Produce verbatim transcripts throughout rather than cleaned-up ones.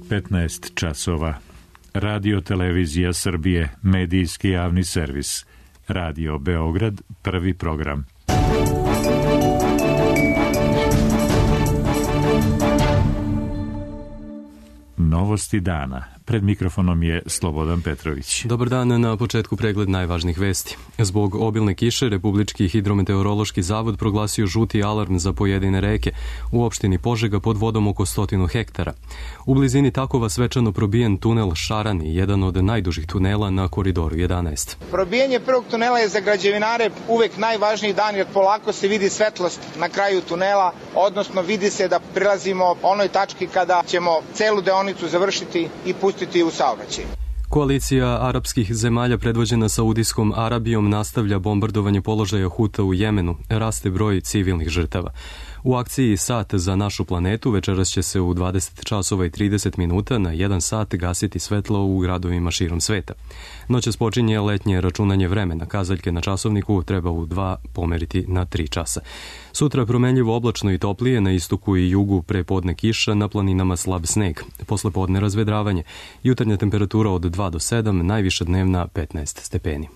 petnaest časova. Radio Televizija Srbije, medijski javni servis. Radio Beograd, prvi program. Novosti dana. Pred mikrofonom je Slobodan Petrović. Dobar dan, na početku pregled najvažnijih vesti. Zbog obilne kiše, Republički hidrometeorološki zavod proglasio žuti alarm za pojedine reke. U opštini Požega pod vodom oko stotinu hektara. U blizini Takova svečano probijen tunel Šarani, jedan od najdužih tunela na Koridoru jedanaest. Probijanje prvog tunela je za građevinare uvek najvažniji dan, jer polako se vidi svetlost na kraju tunela, odnosno vidi se da prilazimo onoj tački kada ćemo celu deonicu završiti i pustiti u saobraćaj. Koalicija arapskih zemalja predvođena Saudijskom Arabijom nastavlja bombardovanje položaja Huta u Jemenu. Raste broj civilnih žrtava. U akciji Sat za našu planetu večeras će se u dvadeset časova i trideset minuta na jedan sat gasiti svetlo u gradovima širom sveta. Noćas počinje letnje računanje vremena. Kazaljke na časovniku treba u dva pomeriti na tri časa. Sutra promenljivo oblačno i toplije, na istoku i jugu prepodne kiša, na planinama slab sneg. Posle podne razvedravanje. Jutarnja temperatura od dva do sedam, najviša dnevna petnaest stepeni.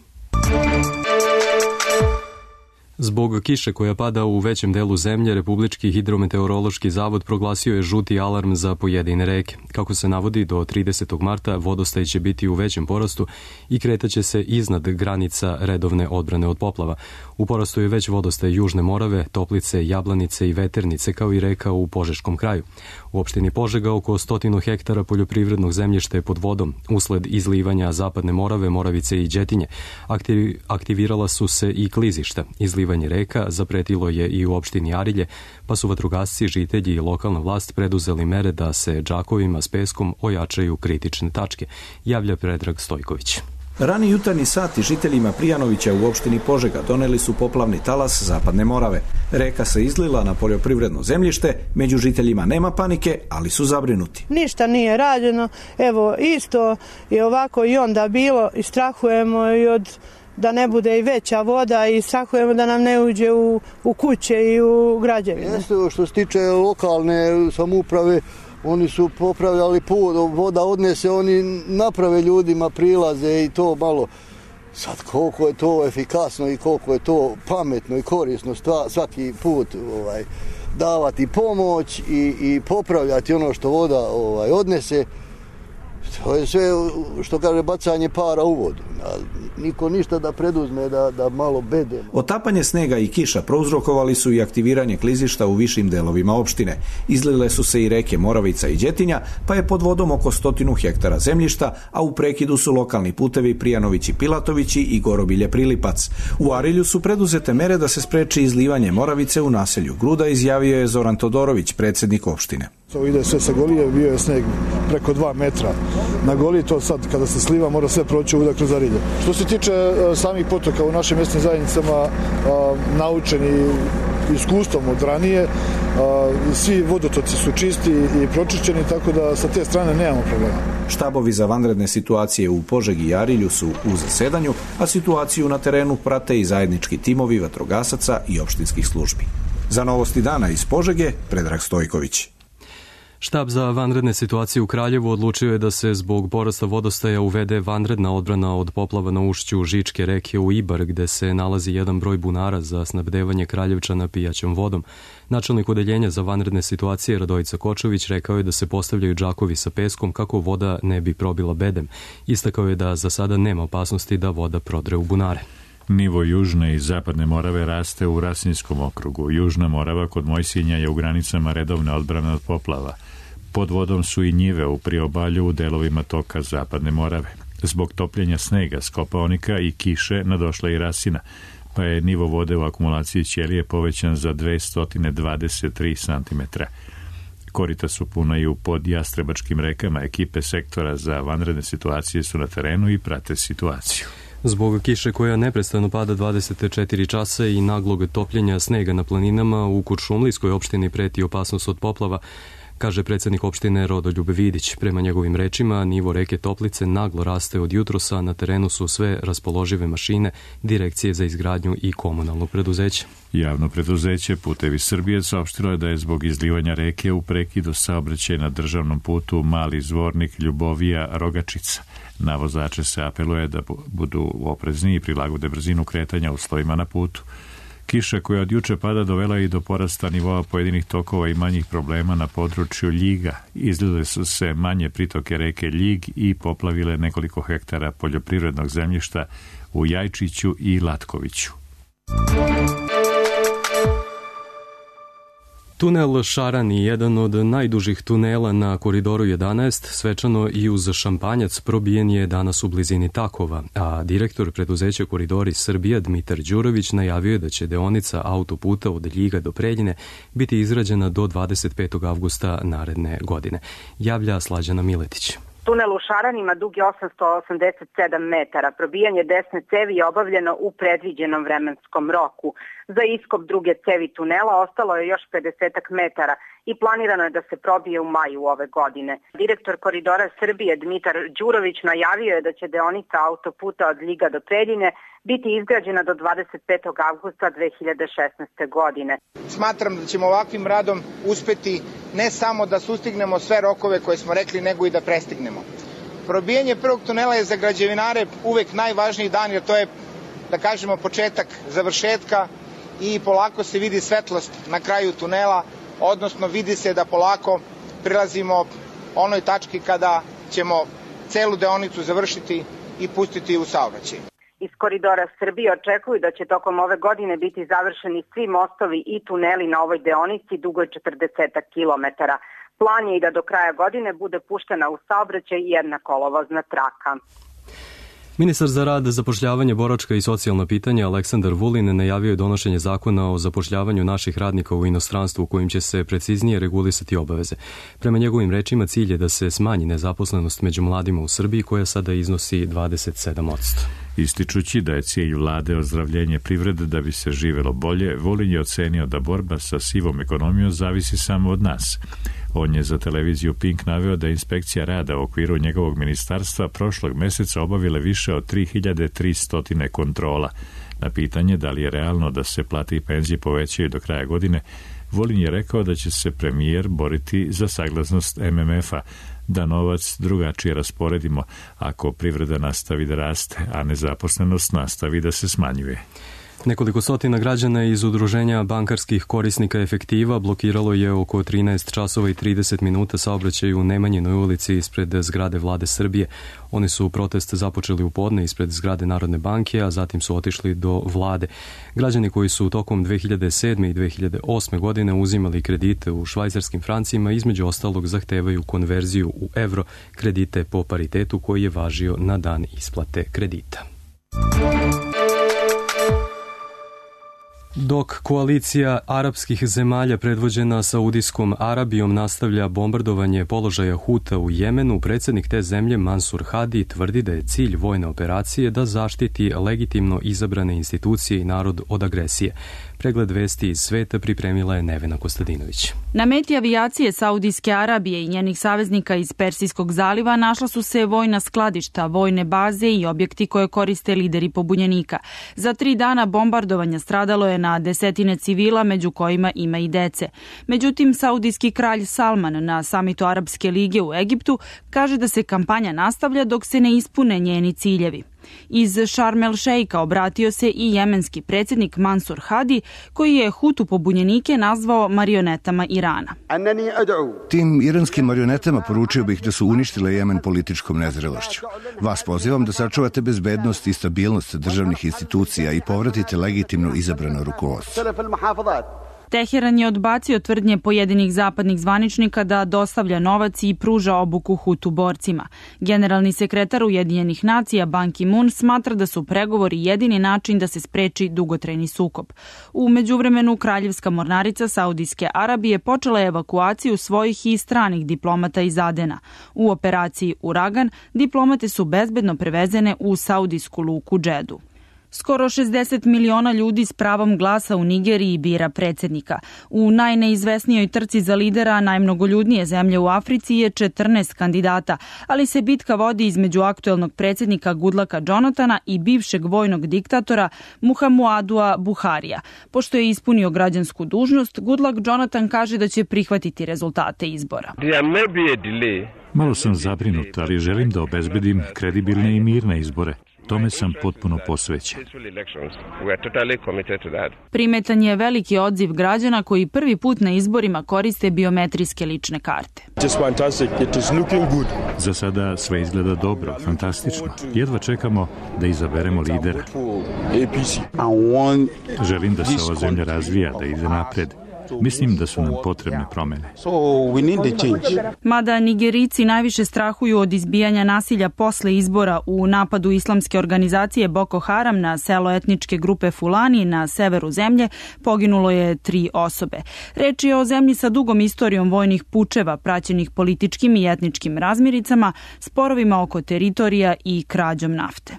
Zbog kiše koja pada u većem delu zemlje, Republički hidrometeorološki zavod proglasio je žuti alarm za pojedine reke. Kako se navodi, do tridesetog marta vodostaj će biti u većem porastu i kretaće se iznad granica redovne odbrane od poplava. U porastu je već vodostaj Južne Morave, Toplice, Jablanice i Veternice, kao i reka u Požeškom kraju. U opštini Požega oko stotinu hektara poljoprivrednog zemljišta je pod vodom. Usled izlivanja Zapadne Morave, Moravice i Đetinje aktiv, aktivirala su se i klizišta. Izlivanje reka zapretilo je i u opštini Arilje, pa su vatrogasci, žitelji i lokalna vlast preduzeli mere da se džakovima s peskom ojačaju kritične tačke, javlja Predrag Stojković. Rani jutarnji sati žiteljima Prijanovića u opštini Požega doneli su poplavni talas Zapadne Morave. Reka se izlila na poljoprivredno zemljište, među žiteljima nema panike, ali su zabrinuti. Ništa nije rađeno, evo isto je ovako i onda bilo i strahujemo i od da ne bude i veća voda i strahujemo da nam ne uđe u, u kuće i u građevine. Jeste, što se tiče lokalne samouprave, oni su popravljali put, voda odnese, oni naprave ljudima prilaze i to malo. Sad koliko je to efikasno i koliko je to pametno i korisno svaki put ovaj, davati pomoć i, i popravljati ono što voda ovaj, odnese. To je sve, što kaže, bacanje para u vodu. Niko ništa da preduzme, da, da malo bedemo. Otapanje snega i kiša prouzrokovali su i aktiviranje klizišta u višim delovima opštine. Izlile su se i reke Moravica i Đetinja, pa je pod vodom oko stotinu hektara zemljišta, a u prekidu su lokalni putevi Prijanovići Pilatovići i Gorobilje Prilipac. U Arilju su preduzete mere da se spreči izlivanje Moravice u naselju Gruda, izjavio je Zoran Todorović, predsjednik opštine. To ide sve sa Golije, bio je sneg preko dva metra. Na Goliji to sad kada se sliva mora sve proći udak kroz Arilje. Što se tiče a, samih potoka u našim mjesnim zajednicama, a, naučeni iskustvom od ranije, a, svi vodotoci su čisti i pročišćeni, tako da sa te strane nemamo problema. Štabovi za vanredne situacije u Požegi i Arilju su u zasedanju, a situaciju na terenu prate i zajednički timovi vatrogasaca i opštinskih službi. Za Novosti dana iz Požege, Predrag Stojković. Štab za vanredne situacije u Kraljevu odlučio je da se zbog porasta vodostaja uvede vanredna odbrana od poplava na ušću Žičke reke u Ibar, gde se nalazi jedan broj bunara za snabdevanje Kraljevčana pijaćom vodom. Načelnik odeljenja za vanredne situacije Radojica Kočović rekao je da se postavljaju džakovi sa peskom kako voda ne bi probila bedem. Istakao je da za sada nema opasnosti da voda prodre u bunare. Nivo Južne i Zapadne Morave raste u Rasinskom okrugu. Južna Morava kod Mojsinja je u granicama redovne odbrane od poplava. Pod vodom su i njive u priobalju u delovima toka Zapadne Morave. Zbog topljenja snega s Kopaonika i kiše nadošla i Rasina, pa je nivo vode u akumulaciji ćelije povećan za dvesta dvadeset tri centimetra. Korita su puna i u podjastrebačkim rekama. Ekipe sektora za vanredne situacije su na terenu i prate situaciju. Zbog kiše koja neprestano pada dvadeset četiri časa i naglog topljenja snega na planinama u Kuršumlijskoj opštini preti opasnost od poplava. kaže predsjednik opštine Rodoljub Vidić. Prema njegovim rečima, nivo reke Toplice naglo raste od jutrosa, na terenu su sve raspoložive mašine, direkcije za izgradnju i komunalnog preduzeća. Javno preduzeće Putevi Srbije saopštilo je da je zbog izlivanja reke u prekidu saobraćaj na državnom putu Mali Zvornik, Ljubovija, Rogačica. Na vozače se apeluje da budu oprezni i prilagode brzinu kretanja uslovima na putu. Kiša koja od juče pada dovela i do porasta nivoa pojedinih tokova i manjih problema na području Ljiga. Izlile su se manje pritoke reke Ljig i poplavile nekoliko hektara poljoprivrednog zemljišta u Jajčiću i Latkoviću. Tunel Šarani, jedan od najdužih tunela na Koridoru jedanaest, svečano i uz šampanjac probijen je danas u blizini Takova, a direktor preduzeća Koridori Srbija Dmitar Đurović najavio je da će deonica autoputa od Ljiga do Preljine biti izrađena do dvadeset petog avgusta naredne godine. Javlja Slađana Miletić. Tunel u Šaranima dug je osamsto osamdeset sedam metara. Probijanje desne cevi je obavljeno u predviđenom vremenskom roku. Za iskop druge cevi tunela ostalo je još pedeset metara i planirano je da se probije u maju ove godine. Direktor Koridora Srbije Dmitar Đurović najavio je da će deonica autoputa od Ljiga do Preljine biti izgrađena do dvadeset petog avgusta dve hiljade šesnaeste. godine. Smatram da ćemo ovakvim radom uspeti ne samo da sustignemo sve rokove koje smo rekli, nego i da prestignemo. Probijanje prvog tunela je za građevinare uvek najvažniji dan, jer to je, da kažemo, početak završetka i polako se vidi svetlost na kraju tunela, odnosno vidi se da polako prilazimo onoj tački kada ćemo celu deonicu završiti i pustiti u saobraćaj. Iz Koridora Srbije očekuju da će tokom ove godine biti završeni svi mostovi i tuneli na ovoj deonici dugoj četrdeset kilometara. Plan je i da do kraja godine bude puštena u saobraćaj jedna kolovozna traka. Ministar za rad, zapošljavanje, boračka i socijalna pitanja Aleksandar Vulin najavio je donošenje zakona o zapošljavanju naših radnika u inostranstvu kojim će se preciznije regulisati obaveze. Prema njegovim rečima cilj je da se smanji nezaposlenost među mladima u Srbiji koja sada iznosi dvadeset sedam posto. Ističući da je cilj vlade ozdravljenje privrede da bi se živelo bolje, Vulin je ocenio da borba sa sivom ekonomijom zavisi samo od nas. On je za televiziju Pink naveo da inspekcija rada u okviru njegovog ministarstva prošlog meseca obavile više od tri hiljade tristo kontrola. Na pitanje da li je realno da se plate i penzije povećaju do kraja godine, Vulin je rekao da će se premijer boriti za saglasnost M M F-a, da novac drugačije rasporedimo ako privreda nastavi da raste, a nezaposlenost nastavi da se smanjuje. Nekoliko stotina građana iz udruženja bankarskih korisnika efektiva blokiralo je oko trinaest časova i trideset minuta saobraćaj u Nemanjinoj ulici ispred zgrade Vlade Srbije. Oni su protest započeli u podne ispred zgrade Narodne banke, a zatim su otišli do Vlade. Građani koji su tokom dve hiljade sedme i dve hiljade osme. godine uzimali kredite u švajcarskim francima, između ostalog zahtevaju konverziju u evro, kredite po paritetu koji je važio na dan isplate kredita. Dok koalicija arapskih zemalja predvođena Saudijskom Arabijom nastavlja bombardovanje položaja Huta u Jemenu, predsjednik te zemlje Mansur Hadi tvrdi da je cilj vojne operacije da zaštiti legitimno izabrane institucije i narod od agresije. Pregled vesti iz sveta pripremila je Nevena Kostadinović. Na meti avijacije Saudijske Arabije i njenih saveznika iz Persijskog zaliva našla su se vojna skladišta, vojne baze i objekti koje koriste lideri pobunjenika. Za tri dana bombardovanja stradalo je na desetine civila, među kojima ima i dece. Međutim, saudijski kralj Salman na samitu Arapske lige u Egiptu kaže da se kampanja nastavlja dok se ne ispune njeni ciljevi. Iz Šarm el Šeika obratio se i jemenski predsjednik Mansur Hadi, koji je Hutu pobunjenike nazvao marionetama Irana. Tim iranskim marionetama poručio bih da su uništile Jemen političkom nezrelošću. Vas pozivam da sačuvate bezbednost i stabilnost državnih institucija i povratite legitimno izabrano rukovodstvo. Teheran je odbacio tvrdnje pojedinih zapadnih zvaničnika da dostavlja novac i pruža obuku Hutu borcima. Generalni sekretar Ujedinjenih nacija Ban Ki-moon smatra da su pregovori jedini način da se spreči dugotrajni sukob. U međuvremenu kraljevska mornarica Saudijske Arabije počela je evakuaciju svojih i stranih diplomata iz Adena. U operaciji Uragan diplomate su bezbedno prevezene u saudijsku luku Džedu. Skoro šezdeset miliona ljudi s pravom glasa u Nigeriji bira predsjednika. U najneizvesnijoj trci za lidera najmnogoljudnije zemlje u Africi je četrnaest kandidata, ali se bitka vodi između aktuelnog predsjednika Goodlucka Jonathana i bivšeg vojnog diktatora Muhammadua Buharija. Pošto je ispunio građansku dužnost, Goodluck Jonathan kaže da će prihvatiti rezultate izbora. Malo sam zabrinut, ali želim da obezbedim kredibilne i mirne izbore. Tome sam potpuno posvećen. Primetan je veliki odziv građana koji prvi put na izborima koriste biometrijske lične karte. Za sada sve izgleda dobro, fantastično. Jedva čekamo da izaberemo lidera. Želim da se ova zemlja razvija, da ide napred. Mislim da su nam potrebne promene. Mada Nigerici najviše strahuju od izbijanja nasilja posle izbora u napadu islamske organizacije Boko Haram na selo etničke grupe Fulani na severu zemlje, poginulo je tri osobe. Reč je o zemlji sa dugom istorijom vojnih pučeva, praćenih političkim i etničkim razmiricama, sporovima oko teritorija i krađom nafte.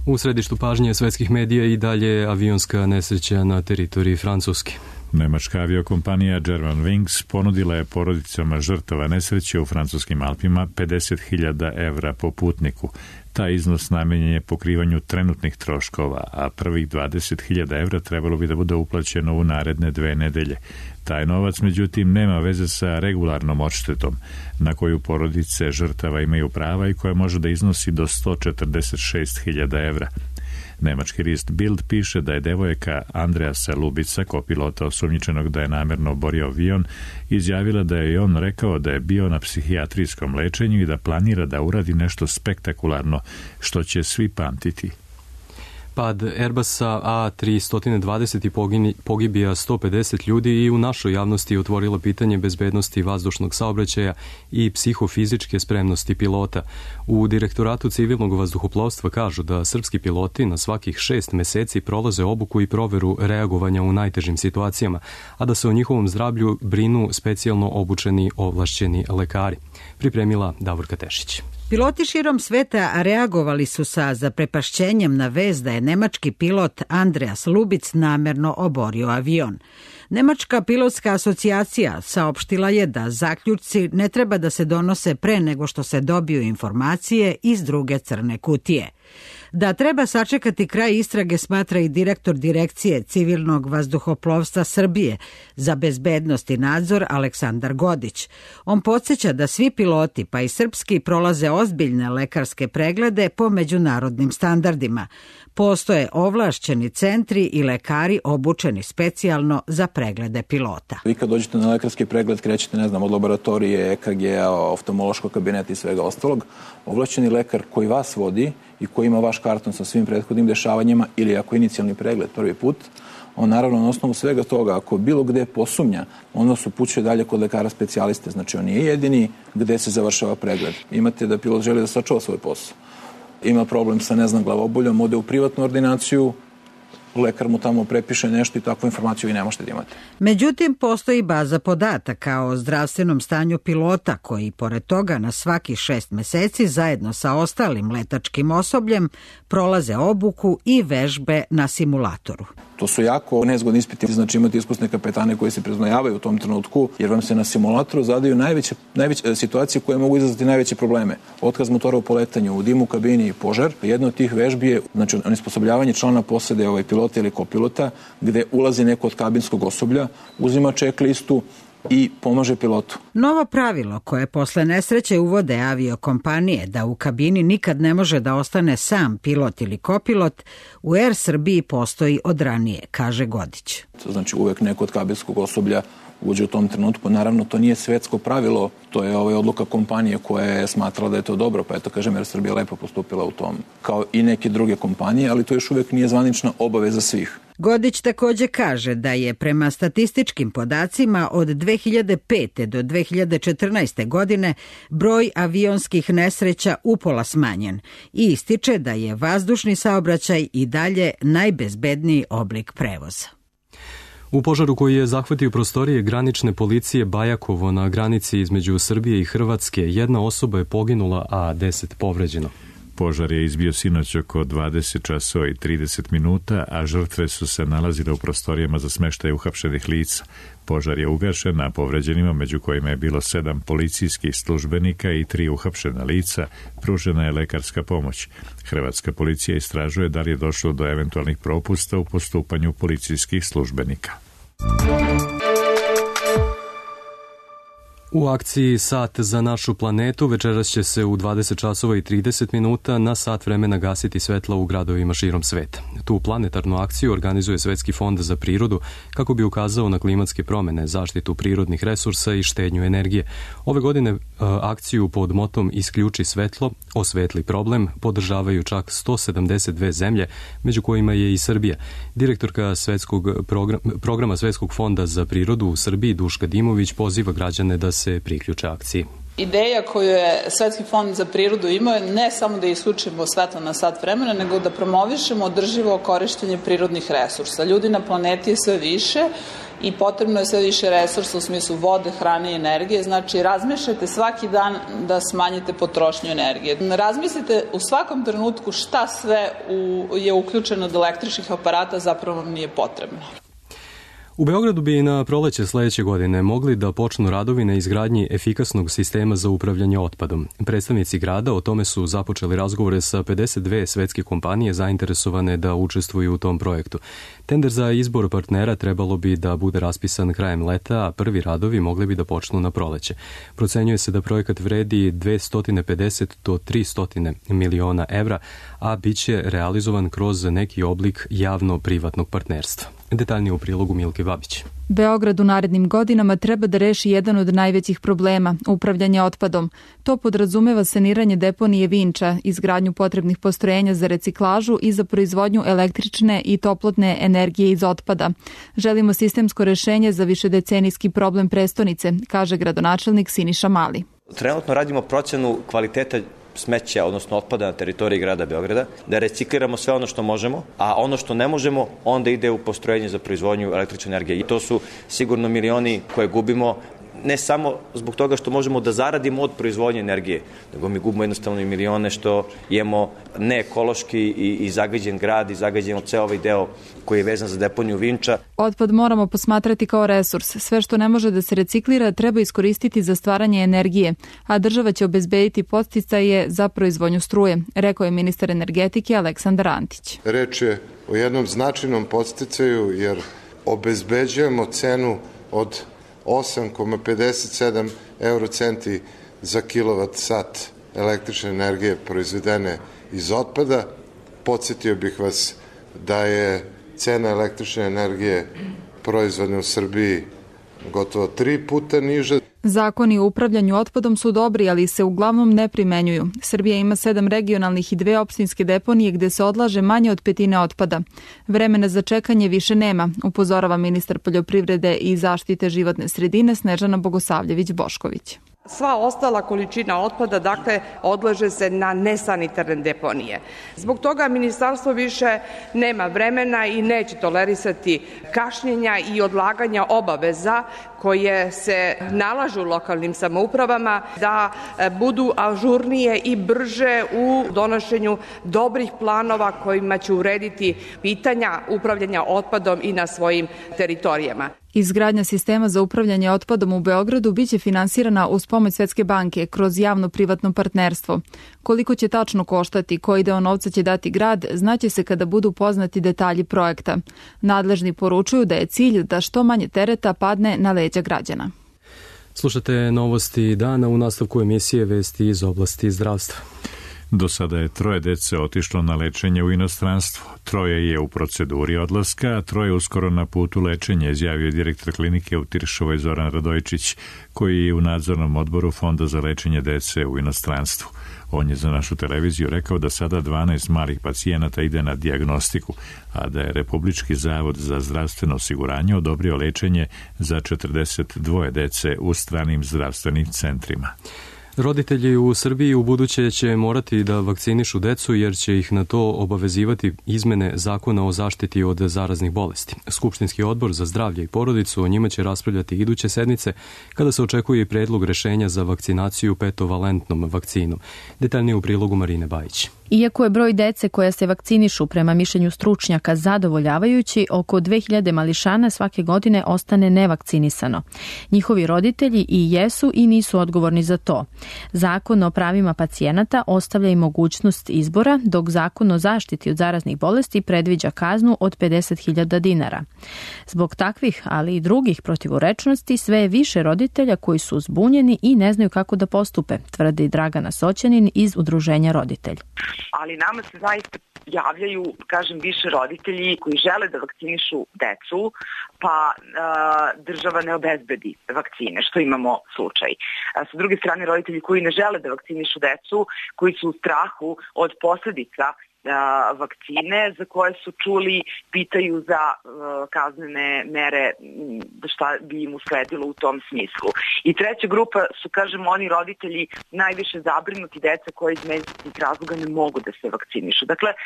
U središtu pažnje svetskih medija i dalje avionska nesreća na teritoriji Francuske. Nemačka aviokompanija Germanwings ponudila je porodicama žrtava nesreće u francuskim Alpima pedeset hiljada evra po putniku. Taj iznos namenjen je pokrivanju trenutnih troškova, a prvih dvadeset hiljada evra trebalo bi da bude uplaćeno u naredne dve nedelje. Taj novac, međutim, nema veze sa regularnom odštetom, na koju porodice žrtava imaju prava i koja može da iznosi do sto četrdeset šest hiljada evra. Nemački list Bild piše da je devojka Andreasa Lubica, kopilota osumnjičenog da je namerno oborio avion, izjavila da je on rekao da je bio na psihijatrijskom lečenju i da planira da uradi nešto spektakularno, što će svi pamtiti. Pad Airbusa A tri dvadeset pogibija sto pedeset ljudi i u našoj javnosti otvorilo pitanje bezbednosti vazdušnog saobraćaja i psihofizičke spremnosti pilota. U Direktoratu civilnog vazduhoplovstva kažu da srpski piloti na svakih šest meseci prolaze obuku i proveru reagovanja u najtežim situacijama, a da se o njihovom zdravlju brinu specijalno obučeni ovlašćeni lekari. Pripremila Davorka Tešić. Piloti širom sveta reagovali su sa zaprepašćenjem na vest da je nemački pilot Andreas Lubic namerno oborio avion. Nemačka pilotska asocijacija saopštila je da zaključci ne treba da se donose pre nego što se dobiju informacije iz druge crne kutije. Da treba sačekati kraj istrage smatra i direktor Direkcije civilnog vazduhoplovstva Srbije za bezbednost i nadzor Aleksandar Godić. On podsjeća da svi piloti, pa i srpski, prolaze ozbiljne lekarske preglede po međunarodnim standardima. Postoje ovlašćeni centri i lekari obučeni specijalno za preglede pilota. Vi kad dođete na lekarski pregled krećete, ne znam, od laboratorije, E K G-a, oftalmološkog kabineta i svega ostalog. Ovlašćeni lekar koji vas vodi i koji ima vaš karton sa svim prethodnim dešavanjima ili ako inicijalni pregled prvi put, on naravno na osnovu svega toga, ako bilo gde posumnja, on vas upućuje dalje kod lekara specijaliste. Znači on nije jedini gde se završava pregled. Imate da pilot želi da sačuva svoj posao. Ima problem sa, ne znam, glavoboljom, ode u privatnu ordinaciju, lekar mu tamo prepiše nešto i takvu informaciju vi ne možete da imate. Međutim, postoji baza podataka o zdravstvenom stanju pilota koji, pored toga, na svakih šest meseci zajedno sa ostalim letačkim osobljem prolaze obuku i vežbe na simulatoru. To su jako nezgodni ispiti, znači imate iskusne kapetane koji se priznojavaju u tom trenutku, jer vam se na simulatoru zadaju najveće, najveće situacije koje mogu izazvati najveće probleme. Otkaz motora u poletanju, u dimu u kabini i požar. Jedna od tih vežbi je, znači, onesposobljavanje člana posade ovaj pilota ili kopilota, gde ulazi neko od kabinskog osoblja, uzima checklistu i pomaže pilotu. Novo pravilo koje posle nesreće uvode aviokompanije da u kabini nikad ne može da ostane sam pilot ili kopilot, u Air Srbiji postoji od ranije, kaže Godić. Znači uvek neko od kabinskog osoblja uđe u tom trenutku. Naravno, to nije svetsko pravilo, to je ovaj odluka kompanije koja je smatrala da je to dobro, pa eto, kažem, Air Srbija lepo postupila u tom, kao i neke druge kompanije, ali to još uvek nije zvanična obaveza svih. Godić takođe kaže da je prema statističkim podacima od dve hiljade pete do dve hiljade četrnaeste. godine broj avionskih nesreća upola smanjen i ističe da je vazdušni saobraćaj i dalje najbezbedniji oblik prevoza. U požaru koji je zahvatio prostorije granične policije Bajakovo na granici između Srbije i Hrvatske, jedna osoba je poginula, a deset povređeno. Požar je izbio sinoć oko dvadeset časova i trideset minuta, a žrtve su se nalazile u prostorijama za smeštaj uhapšenih lica. Požar je ugašen, a povređenima, među kojima je bilo sedam policijskih službenika i tri uhapšena lica, pružena je lekarska pomoć. Hrvatska policija istražuje da li je došlo do eventualnih propusta u postupanju policijskih službenika. U akciji Sat za našu planetu večeras će se u dvadeset časova i trideset minuta na sat vremena gasiti svetla u gradovima širom sveta. Tu planetarnu akciju organizuje Svetski fond za prirodu kako bi ukazao na klimatske promene, zaštitu prirodnih resursa i štednju energije. Ove godine akciju pod motom Isključi svetlo, osvetli problem podržavaju čak sto sedamdeset dve zemlje, među kojima je i Srbija. Direktorka Svetskog programa, programa Svetskog fonda za prirodu u Srbiji, Duška Dimović, poziva građane da se priključe akciji. Ideja koju je Svetski fond za prirodu imao je ne samo da isključimo svetlo na sat vremena, nego da promovišemo održivo korištenje prirodnih resursa. Ljudi na planeti je sve više i potrebno je sve više resursa u smislu vode, hrane i energije. Znači, razmišljajte svaki dan da smanjite potrošnju energije. Razmislite u svakom trenutku šta sve u, je uključeno od električnih aparata, zapravo vam nije potrebno. U Beogradu bi na proleće sledeće godine mogli da počnu radovi na izgradnji efikasnog sistema za upravljanje otpadom. Predstavnici grada o tome su započeli razgovore sa pedeset dve svetske kompanije zainteresovane da učestvuju u tom projektu. Tender za izbor partnera trebalo bi da bude raspisan krajem leta, a prvi radovi mogli bi da počnu na proleće. Procenjuje se da projekat vredi dvesta pedeset do tristo miliona evra, a bit će realizovan kroz neki oblik javno-privatnog partnerstva. Detaljnije u prilogu Milke Babić. Beograd u narednim godinama treba da reši jedan od najvećih problema, upravljanje otpadom. To podrazumeva saniranje deponije Vinča, izgradnju potrebnih postrojenja za reciklažu i za proizvodnju električne i toplotne energije iz otpada. Želimo sistemsko rešenje za višedecenijski problem prestonice, kaže gradonačelnik Siniša Mali. Trenutno radimo procenu kvaliteta smeća, odnosno otpada na teritoriji grada Beograda, da recikliramo sve ono što možemo, a ono što ne možemo, onda ide u postrojenje za proizvodnju električne energije. I to su sigurno milioni koje gubimo, ne samo zbog toga što možemo da zaradimo od proizvodnje energije, nego mi gubimo jednostavno i milione što imamo neekološki i, i zagađen grad i zagađen ceo ovaj deo koji je vezan za deponiju Vinča. Otpad moramo posmatrati kao resurs. Sve što ne može da se reciklira treba iskoristiti za stvaranje energije, a država će obezbediti podsticaje za proizvodnju struje, rekao je ministar energetike Aleksandar Antić. Reč je o jednom značajnom podsticaju jer obezbeđujemo cenu od osam zarez pedeset sedam eurocenti za kilovat sat električne energije proizvedene iz otpada. Podsjetio bih vas da je cena električne energije proizvodne u Srbiji gotovo tri puta niža. Zakoni o upravljanju otpadom su dobri, ali se uglavnom ne primenjuju. Srbija ima sedam regionalnih i dve opštinske deponije gde se odlaže manje od petine otpada. Vremena za čekanje više nema, upozorava ministar poljoprivrede i zaštite životne sredine Snežana Bogosavljević-Bošković. Sva ostala količina otpada, dakle, odlaže se na nesanitarne deponije. Zbog toga ministarstvo više nema vremena i neće tolerisati kašnjenja i odlaganja obaveza koje se nalažu lokalnim samoupravama da budu ažurnije i brže u donošenju dobrih planova kojima će urediti pitanja upravljanja otpadom i na svojim teritorijama. Izgradnja sistema za upravljanje otpadom u Beogradu biće finansirana uz pomoć Svetske banke kroz javno-privatno partnerstvo. Koliko će tačno koštati, koji deo novca će dati grad, znaće se kada budu poznati detalji projekta. Nadležni poručuju da je cilj da što manje tereta padne na leđa građana. Slušate novosti dana, u nastavku emisije vesti iz oblasti zdravstva. Do sada je troje dece otišlo na lečenje u inostranstvo. Troje je u proceduri odlaska, a troje uskoro na putu lečenja, izjavio direktor klinike u Tiršovoj Zoran Radojičić, koji je u nadzornom odboru Fonda za lečenje dece u inostranstvu. On je za našu televiziju rekao da sada dvanaest malih pacijenata ide na dijagnostiku, a da je Republički zavod za zdravstveno osiguranje odobrio lečenje za četrdeset dvoje dece u stranim zdravstvenim centrima. Roditelji u Srbiji u buduće će morati da vakcinišu decu jer će ih na to obavezivati izmene zakona o zaštiti od zaraznih bolesti. Skupštinski odbor za zdravlje i porodicu o njima će raspravljati iduće sedmice kada se očekuje i predlog rešenja za vakcinaciju petovalentnom vakcinom. Detaljnije u prilogu Marine Bajić. Iako je broj dece koja se vakcinišu prema mišljenju stručnjaka zadovoljavajući, oko dve hiljade mališana svake godine ostane nevakcinisano. Njihovi roditelji i jesu i nisu odgovorni za to. Zakon o pravima pacijenata ostavlja i mogućnost izbora, dok zakon o zaštiti od zaraznih bolesti predviđa kaznu od pedeset hiljada dinara. Zbog takvih, ali i drugih protivurečnosti, sve je više roditelja koji su zbunjeni i ne znaju kako da postupe, tvrdi Dragana Soćanin iz Udruženja Roditelj. Ali nama se zaista javljaju, kažem, više roditelji koji žele da vakcinišu decu, pa a, država ne obezbedi vakcine, što imamo slučaj. A, sa druge strane, roditelji koji ne žele da vakcinišu decu, koji su u strahu od posledica vakcine za koje su čuli, pitaju za uh, kaznene mere, šta bi im usledilo u tom smislu. I treća grupa su, kažem, oni roditelji najviše zabrinuti deca koji iz medicinskih razloga ne mogu da se vakcinišu. Dakle, uh,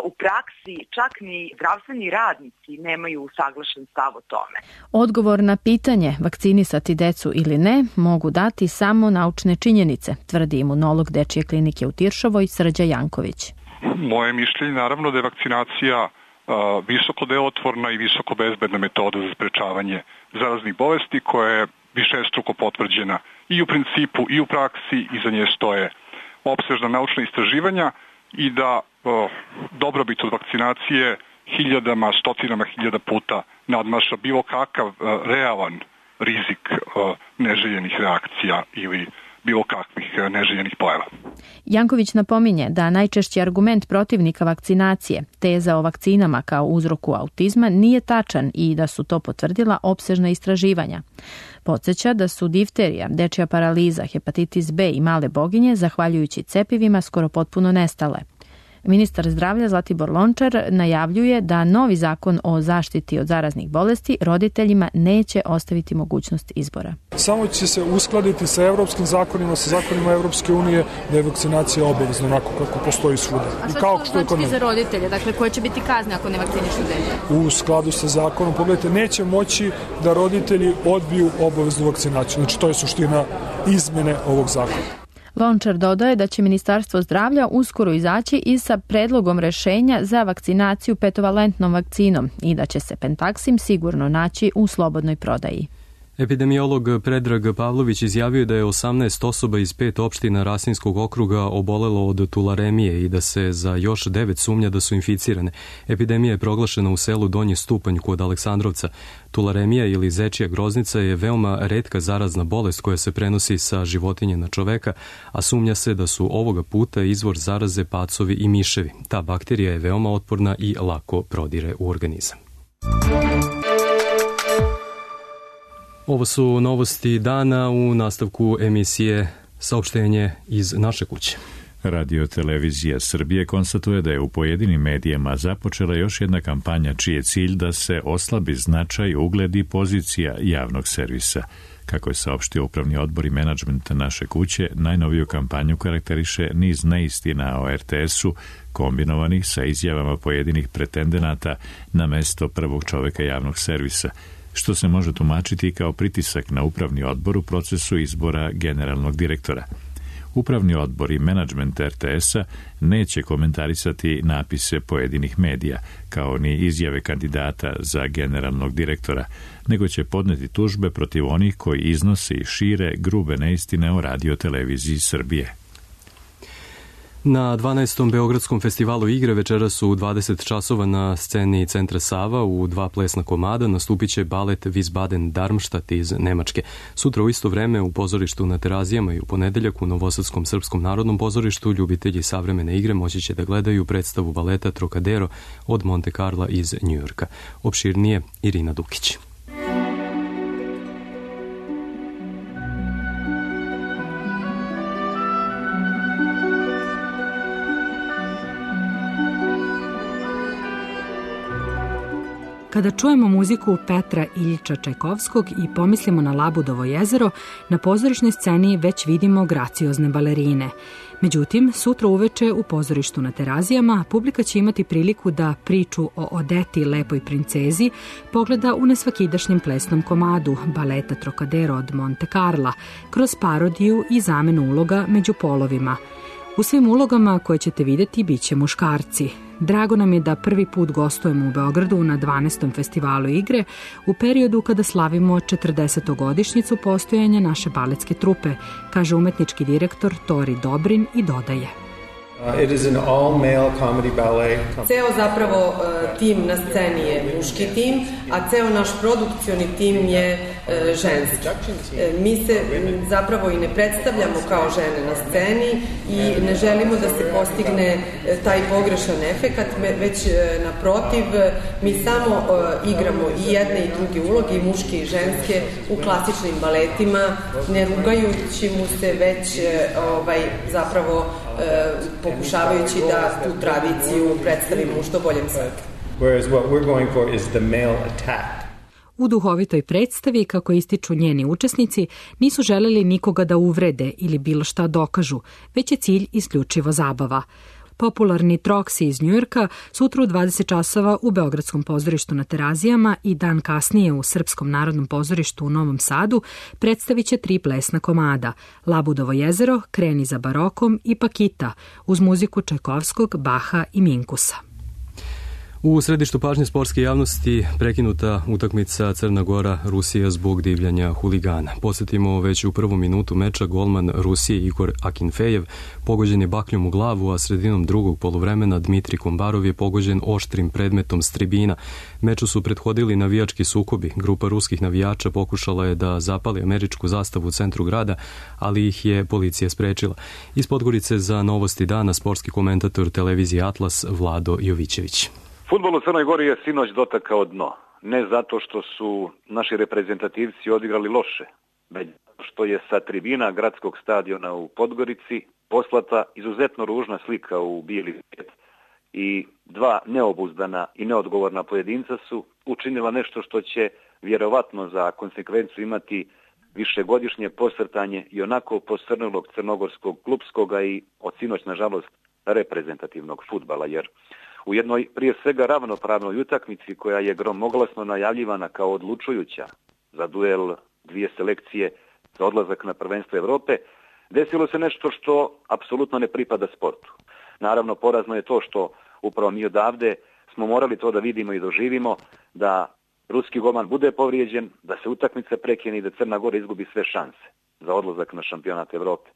u praksi čak ni zdravstveni radnici nemaju usaglašen stav o tome. Odgovor na pitanje vakcinisati decu ili ne mogu dati samo naučne činjenice, tvrdi imunolog Dečije klinike u Tiršovoj Srđa Janković. Moje mišljenje naravno da je vakcinacija uh, visoko delotvorna i visoko bezbedna metoda za sprečavanje zaraznih bolesti koja je višestruko potvrđena i u principu i u praksi i za nje stoje opsežna naučna istraživanja i da uh, dobrobit od vakcinacije hiljadama, stotinama hiljada puta nadmaša bilo kakav uh, realan rizik uh, neželjenih reakcija ili bilo kakvih neželjenih pojava. Janković napominje da najčešći argument protivnika vakcinacije, teza o vakcinama kao uzroku autizma, nije tačan i da su to potvrdila opsežna istraživanja. Podsjeća da su difterija, dečija paraliza, hepatitis B i male boginje, zahvaljujući cepivima, skoro potpuno nestale. Ministar zdravlja Zlatibor Lončar najavljuje da novi zakon o zaštiti od zaraznih bolesti roditeljima neće ostaviti mogućnost izbora. Samo će se uskladiti sa evropskim zakonima, sa zakonima Evropske unije, da je vakcinacija obavezna onako kako postoji svuda. A šta kao što znači za roditelje? Dakle, koje će biti kazne ako ne vakcinišu dete? U skladu sa zakonom, pogledajte, neće moći da roditelji odbiju obaveznu vakcinaciju. Znači, to je suština izmene ovog zakona. Lončar dodaje da će Ministarstvo zdravlja uskoro izaći i sa predlogom rešenja za vakcinaciju petovalentnom vakcinom i da će se Pentaksim sigurno naći u slobodnoj prodaji. Epidemiolog Predrag Pavlović izjavio da je osamnaest osoba iz pet opština Rasinskog okruga obolelo od tularemije i da se za još devet sumnja da su inficirane. Epidemija je proglašena u selu Donji Stupanj kod Aleksandrovca. Tularemija ili zečija groznica je veoma retka zarazna bolest koja se prenosi sa životinje na čoveka, a sumnja se da su ovoga puta izvor zaraze pacovi i miševi. Ta bakterija je veoma otporna i lako prodire u organizam. Ovo su novosti dana. U nastavku emisije saopštenje iz naše kuće. Radio Televizija Srbije konstatuje da je u pojedinim medijama započela još jedna kampanja čiji je cilj da se oslabi značaj, ugled i pozicija javnog servisa. Kako je saopštio upravni odbor i menadžment naše kuće, najnoviju kampanju karakteriše niz neistina o er te esu kombinovanih sa izjavama pojedinih pretendenata na mesto prvog čoveka javnog servisa, što se može tumačiti kao pritisak na upravni odbor u procesu izbora generalnog direktora. Upravni odbor i menadžment er te esa neće komentarisati napise pojedinih medija, kao ni izjave kandidata za generalnog direktora, nego će podneti tužbe protiv onih koji iznose i šire grube neistine o Radio Televiziji Srbije. Na dvanaestom Beogradskom festivalu igre večeras su u dvadeset časova na sceni Centra Sava u dva plesna komada nastupit će balet Wiesbaden Darmstadt iz Nemačke. Sutra u isto vreme u pozorištu na Terazijama i u ponedeljak u Novosadskom srpskom narodnom pozorištu ljubitelji savremene igre moći će da gledaju predstavu baleta Trocadero od Monte Carla iz Njujorka. Opširnije Irina Dukić. Kada čujemo muziku Petra Iljiča Čajkovskog i pomislimo na Labudovo jezero, na pozorišnoj sceni već vidimo graciozne balerine. Međutim, sutra uveče u pozorištu na Terazijama publika će imati priliku da priču o Odeti, lepoj princezi, pogleda u nesvakidašnjem plesnom komadu baleta Trocadero od Monte Carla, kroz parodiju i zamenu uloga među polovima. U svim ulogama koje ćete vidjeti bit će muškarci. Drago nam je da prvi put gostujemo u Beogradu na dvanaestom festivalu igre u periodu kada slavimo četrdesetogodišnjicu postojanja naše baletske trupe, kaže umetnički direktor Tori Dobrin i dodaje. It is an all-male comedy ballet. Ceo zapravo uh, tim na sceni je muški tim, a ceo naš produkcioni tim je uh, ženski. Uh, mi se m, zapravo i ne predstavljamo kao žene na sceni i ne želimo da se postigne uh, taj pogrešan efekat, već uh, naprotiv, uh, mi samo uh, igramo i jedne i druge uloge, i muške i ženske, u klasičnim baletima, ne rugajući mu se, već uh, ovaj, zapravo uh, pokušavajući da tu tradiciju predstavimo u što boljem svetlu. Whereas what we're going for is the male attack. U duhovitoj predstavi, kako ističu njeni učesnici, nisu želeli nikoga da uvrede ili bilo šta dokažu, već je cilj isključivo zabava. Popularni Troksi iz Njujorka sutra u dvadeset časova u Beogradskom pozorištu na Terazijama i dan kasnije u Srpskom narodnom pozorištu u Novom Sadu predstavit će tri plesna komada: Labudovo jezero, Kreni za barokom i Pakita, uz muziku Čajkovskog, Baha i Minkusa. U središtu pažnje sportske javnosti prekinuta utakmica Crna Gora-Rusija zbog divljanja huligana. Posjetimo već u prvu minutu meča golman Rusije Igor Akinfejev pogođen je bakljom u glavu, a sredinom drugog poluvremena Dmitri Kombarov je pogođen oštrim predmetom s tribina. Meču su prethodili navijački sukobi. Grupa ruskih navijača pokušala je da zapali američku zastavu u centru grada, ali ih je policija sprečila. Iz Podgorice za Novosti dana sportski komentator televizije Atlas Vlado Jovićević. Fudbal u Crnoj Gori je sinoć dotakao dno. Ne zato što su naši reprezentativci odigrali loše, već što je sa tribina gradskog stadiona u Podgorici poslata izuzetno ružna slika u bijeli svijet i dva neobuzdana i neodgovorna pojedinca su učinila nešto što će vjerovatno za konsekvencu imati višegodišnje posrtanje i onako posrnulog crnogorskog klupskoga i od sinoć, nažalost, reprezentativnog fudbala, jer u jednoj prije svega ravnopravnoj utakmici koja je gromoglasno najavljivana kao odlučujuća za duel dvije selekcije za odlazak na prvenstvo Evrope, desilo se nešto što apsolutno ne pripada sportu. Naravno, porazno je to što upravo mi odavde smo morali to da vidimo i doživimo, da ruski golman bude povrijeđen, da se utakmica prekine i da Crna Gora izgubi sve šanse za odlazak na šampionat Evrope.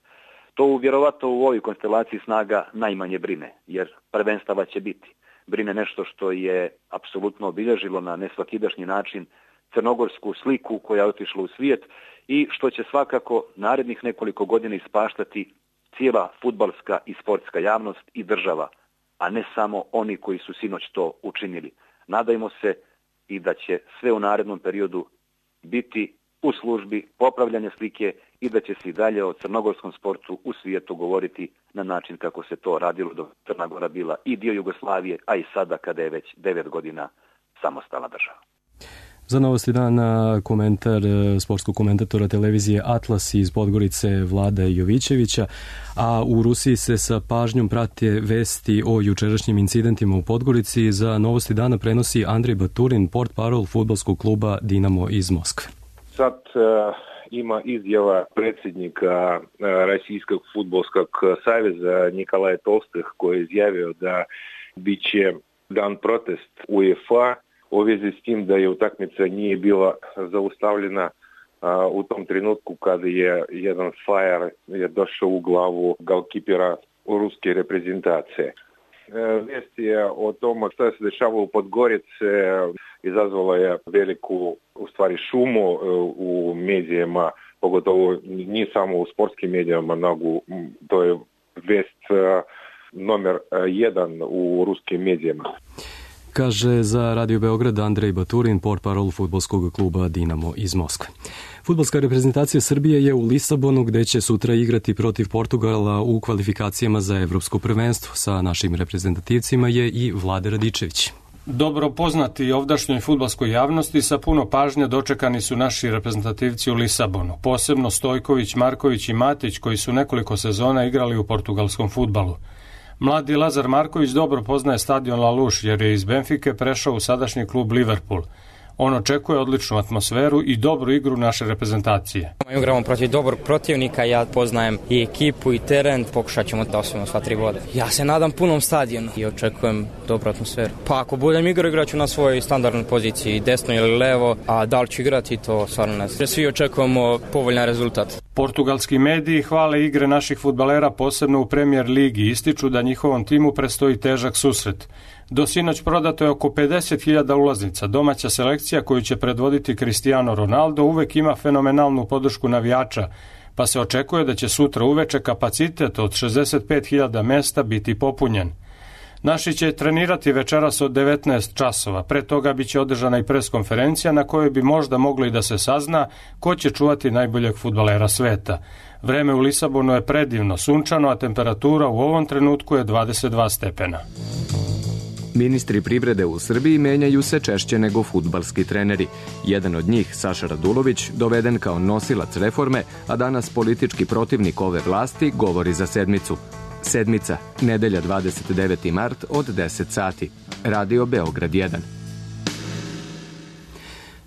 To vjerovatno u ovoj konstelaciji snaga najmanje brine, jer prvenstava će biti. Brine nešto što je apsolutno obilježilo na nesvakidašnji način crnogorsku sliku koja je otišla u svijet i što će svakako narednih nekoliko godina ispaštati cijela fudbalska i sportska javnost i država, a ne samo oni koji su sinoć to učinili. Nadajmo se i da će sve u narednom periodu biti u službi popravljanja slike i da će se i dalje o crnogorskom sportu u svijetu govoriti na način kako se to radilo dok Crna Gora bila i dio Jugoslavije, a i sada kada je već devet godina samostalna država. Za Novosti dana komentar sportskog komentatora televizije Atlas iz Podgorice Vlada Jovićevića, a u Rusiji se sa pažnjom prate vesti o jučerašnjim incidentima u Podgorici. Za Novosti dana prenosi Andrej Baturin, portparol fudbalskog kluba Dinamo iz Moskve. Sad uh, ima izjava predsjednika uh, Российskog fudbalskog saveza Nikolaja Tolstih koji je izjavio da bit će dan protest UEFA u vezi s tim da je utakmica nije bila zaustavljena uh, u tom trenutku kada je jedan fajer je došao u glavu golkipera ruske reprezentacije. Vijest je o tome što se dešava u Podgorici izazvala je veliku u stvari šumu u medijima, pogotovo nije samo u sportskim medijima, nego to je vest nomer jedan u ruskim medijima. Kaže za Radio Beograd Andrej Baturin, portparol fudbalskog kluba Dinamo iz Moskve. Fudbalska reprezentacija Srbije je u Lisabonu gde će sutra igrati protiv Portugala u kvalifikacijama za evropsko prvenstvo. Sa našim reprezentativcima je i Vlada Radičević. Dobro poznati ovdašnjoj fudbalskoj javnosti, sa puno pažnje dočekani su naši reprezentativci u Lisabonu, posebno Stojković, Marković i Matić, koji su nekoliko sezona igrali u portugalskom fudbalu. Mladi Lazar Marković dobro poznaje stadion La Luz, jer je iz Benfike prešao u sadašnji klub Liverpool. On očekuje odličnu atmosferu i dobru igru naše reprezentacije. Igramo protiv dobrog protivnika, ja poznajem i ekipu i teren, pokušat ćemo da osvojimo sva tri boda. Ja se nadam punom stadionu i očekujem dobru atmosferu. Pa ako budem igrao, igraću na svojoj standardnoj poziciji, desno ili levo, a da li ću igrati, to stvarno ne znam. Svi očekujemo povoljan rezultat. Portugalski mediji hvale igre naših fudbalera, posebno u Premier ligi, ističu da njihovom timu predstoji težak susret. Do sinoć prodato je oko pedeset hiljada ulaznica. Domaća selekcija koju će predvoditi Cristiano Ronaldo uvek ima fenomenalnu podršku navijača, pa se očekuje da će sutra uveče kapacitet od šezdeset pet hiljada mesta biti popunjen. Naši će trenirati večeras od devetnaest časova. Pre toga biće održana i preskonferencija na kojoj bi možda moglo i da se sazna ko će čuvati najboljeg fudbalera sveta. Vreme u Lisabonu je predivno, sunčano, a temperatura u ovom trenutku je dvadeset dva stepena. Ministri privrede u Srbiji menjaju se češće nego fudbalski treneri. Jedan od njih, Saša Radulović, doveden kao nosilac reforme, a danas politički protivnik ove vlasti, govori za sedmicu. Sedmica, nedelja dvadeset deveti mart od deset sati. Radio Beograd jedan.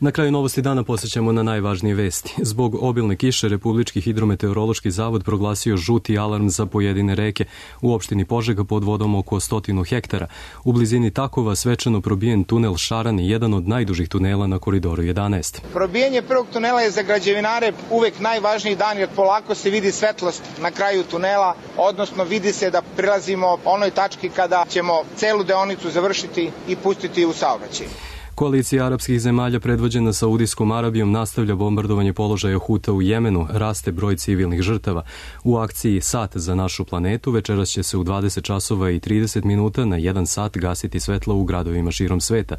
Na kraju novosti dana posjećamo na najvažnije vesti. Zbog obilne kiše Republički hidrometeorološki zavod proglasio žuti alarm za pojedine reke. U opštini Požega pod vodom oko stotinu hektara. U blizini Takova svečano probijen tunel Šarani, jedan od najdužih tunela na koridoru jedanaest. Probijanje prvog tunela je za građevinare uvek najvažniji dan, jer polako se vidi svetlost na kraju tunela, odnosno vidi se da prilazimo onoj tački kada ćemo celu deonicu završiti i pustiti u saobraćaj. Koalicija arapskih zemalja predvođena Saudijskom Arabijom nastavlja bombardovanje položaja Huta u Jemenu, raste broj civilnih žrtava. U akciji Sat za našu planetu večeras će se u dvadeset časova i trideset minuta na jedan sat gasiti svetlo u gradovima širom sveta.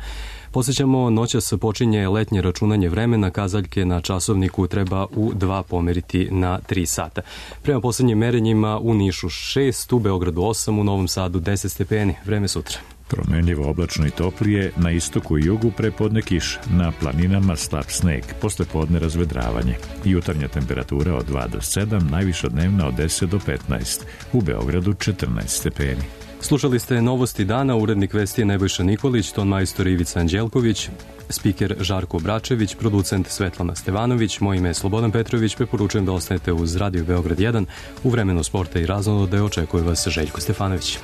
Posjećamo, noćas počinje letnje računanje vremena, kazaljke na časovniku treba u dva pomeriti na tri sata. Prema posljednjim merenjima u Nišu šest, u Beogradu osam, u Novom Sadu deset stepeni. Vreme sutra. Promenljivo oblačno i toplije, na istoku i jugu prepodne kiš, na planinama slab sneg, posle podne razvedravanje. Jutarnja temperatura od dva do sedam, najviša dnevna od deset do petnaest, u Beogradu četrnaest stepeni. Slušali ste novosti dana, urednik vesti je Nebojša Nikolić, ton majstor Ivica Anđelković, spiker Žarko Bračević, producent Svetlana Stevanović, moje ime je Slobodan Petrović, preporučujem da ostanete uz Radio Beograd jedan, u vremenu sporta i raznolade očekuje vas Željko Stefanović.